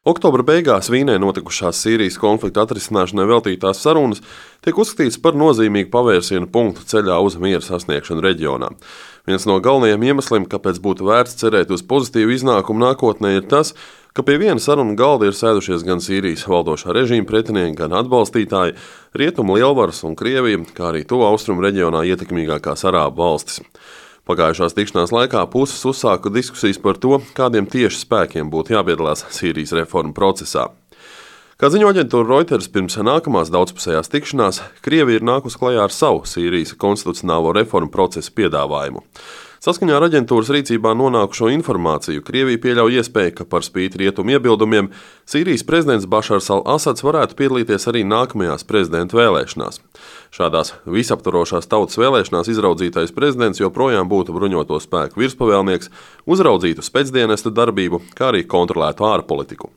Oktobra beigās Vīnē notikušās Sīrijas konflikta atrisināšanai veltītās sarunas tiek uzskatītas par nozīmīgu pavērsienu punktu ceļā uz miera sasniegšanu reģionā. Viens no galvenajiem iemesliem, kāpēc būtu vērts cerēt uz pozitīvu iznākumu nākotnē, ir tas, ka pie viena sarunu galda ir sēdušies gan Sīrijas valdošā režīma pretinieki, gan atbalstītāji, Rietumu lielvaras un Krievija, kā arī Tuvu Austrumu reģionā ietekmīgākās arābu valstis. Pagājušās tikšanās laikā puses uzsāka diskusijas par to, kādiem tieši spēkiem būtu jāpiedalās Sīrijas reformu procesā. Kā ziņo aģentūra Reuters, pirms nākamās daudzpusējās tikšanās, Krievija ir nākusi klajā ar savu Sīrijas konstitucionālo reformu procesu piedāvājumu. Saskaņā ar aģentūras rīcībā nonākušo informāciju, Krievija pieļauj iespēju, ka par spīti rietumu iebildumiem Sīrijas prezidents Bašars al-Asads varētu piedalīties arī nākamajās prezidenta vēlēšanās. Šādās visaptvarošās tautas vēlēšanās izraudzītais prezidents joprojām būtu bruņoto spēku virspavēlnieks, uzraudzītu spēcdienestu darbību, kā arī kontrolētu ārpolitiku.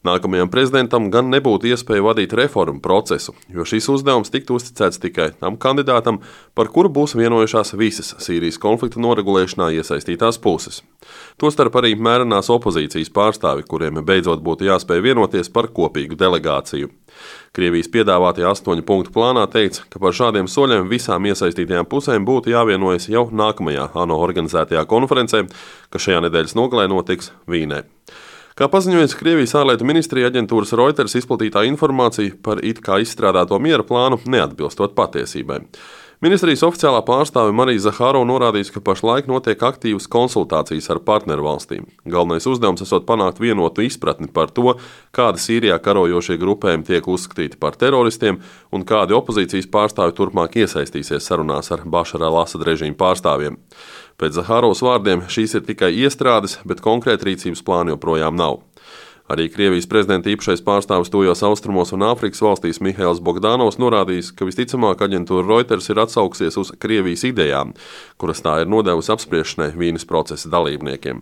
Nākamajam prezidentam gan nebūtu iespēja vadīt reformu procesu, jo šīs uzdevums tiktu uzticēts tikai tam kandidātam, par kuru būs vienojušās visas Sīrijas konflikta noregulēšanā iesaistītās puses. Tostarp arī mērenās opozīcijas pārstāvi, kuriem beidzot būtu jāspēj vienoties par kopīgu delegāciju. Krievijas piedāvātajā 8 punktu plānā teica, ka par šādiem soļiem visām iesaistītajām pusēm būtu jāvienojas jau nākamajā ANO organizētajā konferencē, kas šajā nedēļas nogalē notiks Vīnē. Kā paziņojas Krievijas ārlietu ministrija, aģentūras Reuters izplatītā informācija par it kā izstrādāto miera plānu neatbilstot patiesībai. Ministrijas oficiālā pārstāve Marija Zahārova norādījusi, ka pašlaik notiek aktīvas konsultācijas ar partneru valstīm. Galvenais uzdevums esot panākt vienotu izpratni par to, kādi Sīrijā karojošie grupējumi tiek uzskatīti par teroristiem un kādi opozīcijas pārstāvi turpmāk iesaistīsies sarunās ar Bašara al-Asada režīmu pārstāvjiem. Pēc Zahārovas vārdiem šīs ir tikai iestrādes, bet konkrēti rīcības plāni joprojām nav. Arī Krievijas prezidenta īpašais pārstāvis Tuvajos Austrumos un Āfrikas valstīs Mihails Bogdanovs norādījis, ka visticamāk aģentūra Reuters ir atsaukusies uz Krievijas idejām, kuras tā ir nodevusi apspriešanai Vīnes procesa dalībniekiem.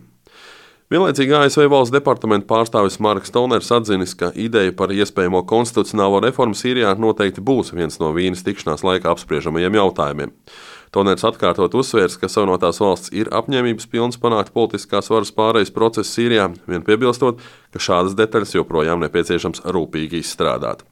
Vienlaicīgi ASV valsts departamenta pārstāvis Marks Toners atzinis, ka ideja par iespējamo konstitucionālo reformu Sīrijā noteikti būs viens no Vīnes tikšanās laikā apspriežamajiem jautājumiem. Toners atkārtot uzsvērs, ka Savienotās valsts ir apņēmības pilns panākt politiskās varas pārejas procesu Sīrijā, vien piebilstot, ka šādas detaļas joprojām nepieciešams rūpīgi izstrādāt.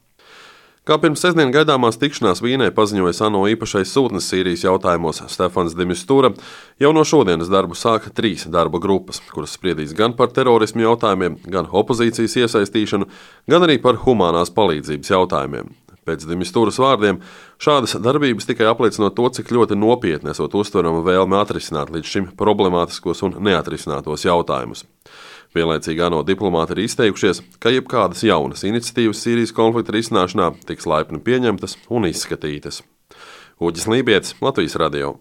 Kā pirms sestdien gaidāmās tikšanās Vīnē paziņoja ANO īpašais sūtnis Sīrijas jautājumos Stefans de Mistura, jau no šodienas darbu sāka 3 darba grupas, kuras spriedīs gan par terorismu jautājumiem, gan opozīcijas iesaistīšanu, gan arī par humānās palīdzības jautājumiem. Pēc de Misturas vārdiem, šādas darbības tikai apliecina to, cik ļoti nopietni esot uztverama vēlme atrisināt līdz šim problemātiskos un neatrisinātos jautājumus. Vienlaicīgi ANO diplomāti ir izteikušies, ka jebkādas jaunas iniciatīvas Sīrijas konflikta risināšanā tiks laipni pieņemtas un izskatītas. Uģis Lībietis, Latvijas radio.